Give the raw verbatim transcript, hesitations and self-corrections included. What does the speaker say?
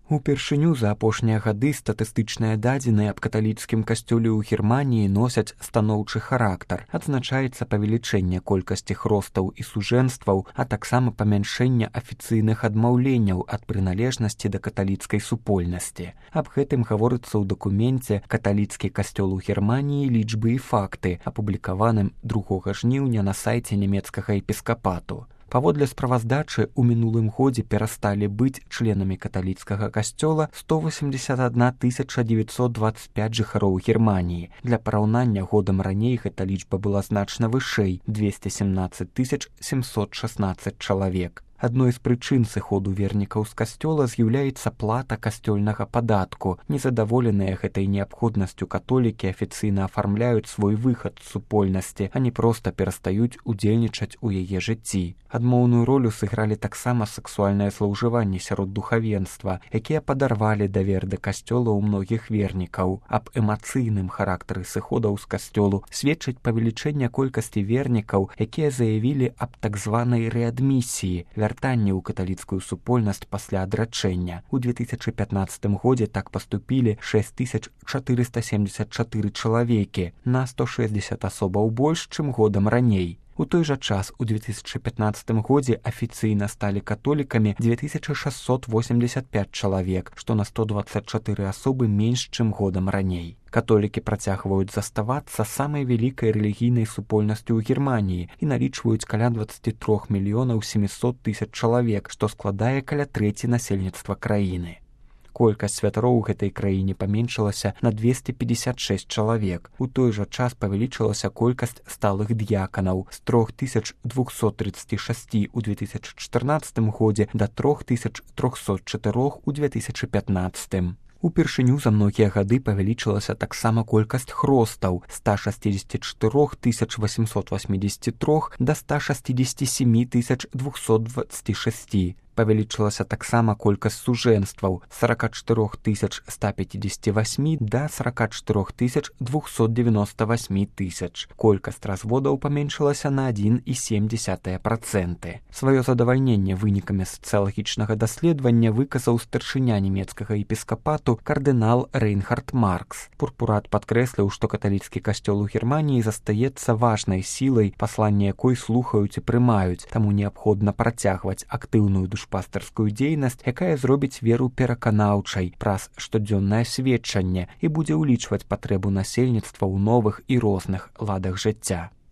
Упершыню за апошнія гады статыстычныя дадзеныя аб каталіцкім касцёле ў Германіі носяць станоўчы характар. Адзначаецца павелічэнне колькасці хростаў і сужэнстваў, а таксама памяншэнне афіцыйных адмаўленняў ад прыналежнасці да каталіцкай супольнасці. Аб гэтым гаворыцца ў дакуменце «Каталіцкі касцёл у Германіі. Лічбы і факты», апублікаваным другога жніўня на сайце нямецкага епіскапату. Паводле справаздачы, у мінулым годзе перасталі быць членамі каталіцкага касцёла сто восемьдесят одна тысяча девятьсот двадцать пять жыхароў Германіі. Для параўнання, годам раней гэта лічба была значна вышэй – двести семнадцать тысяч семьсот шестнадцать чалавек. Адной з прычын сыходу вернікаў з касцёла з'яўляецца плата касцёльнага падатку. Незадаволеныя гэтай неабходнасцю католікі афіцыйна афармляюць свой выхад з супольнасці, а не проста перастаюць удзельнічаць у яе жыцці. Адмоўную ролю сыгралі таксама сексуальнае злоўжыванне сярод духавенства, якія падарвалі давер да касцёла ў многіх вернікаў. Аб эмацыйным характары сыходаў з касцёлу сведчыць павелічэнне колькасці вернікаў, якія заявілі аб так званай рэадмісіі, вяртанне ў каталіцкую супольнасць пасля адрачэння. У две тысячы пятнаццатым годзе так паступілі шесть тысяч четыреста семьдесят четыре чалавекі, на сто шэсцьдзесят асобаў больш, чым годам раней. У той жа час у две тысячы пятнаццатым годзе афіцыйна сталі католікамі две тысячи шестьсот восемьдесят пять чалавек, што на сто двадцать четыре асобы менш, чым годам раней. Католікі працягваюць заставацца самай вялікай рэлігійнай супольнасцю ў Германіі і налічваюць каля двадцать три мільёнаў семьсот тысяч чалавек, што складае каля трэці насельніцтва краіны. Колькасць святароў у гэтай краіне паменшылася на двести пятьдесят шесть чалавек. У той жа час павялічылася колькасць сталых д'яканаў з три тысячи двести тридцать шесть у две тысячи чатырнаццатым годзе да три тысячи триста четыре у две тысячи пятнаццатым. Упершыню за многія гады павялічылася таксама колькасць хростаў з ста шестидесяти четырёх тысяч восемьсот восьмидесяти трёх да ста шестидесяти семи тысяч двухсот двадцати шести. Павялічылася таксама колькасць сужэнстваў з сорок четыре тысяч ста пятидесяти восьми да сорок четыре тысяч двухсот девяносто восьми тысяч. Колькасць разводаў паменшылася на один и семь десятых процента. Сваё задавальненне вынікамі сацыялагічнага даследавання выказаў старшыня нямецкага епіскапату кардынал Рейнхард Маркс. Пурпурат падкрэсліў, што каталіцкі касцёл у Германіі застаецца важнай сілай, пасланне якой слухаюць і прымаюць, таму неабходна працягваць актыўную душу пастарскую дзейнасць, якая зробіць веру пераканаўчай праз штодзённае сведчанне і будзе ўлічваць патрэбу насельніцтва ў новых і розных ладах жыцця.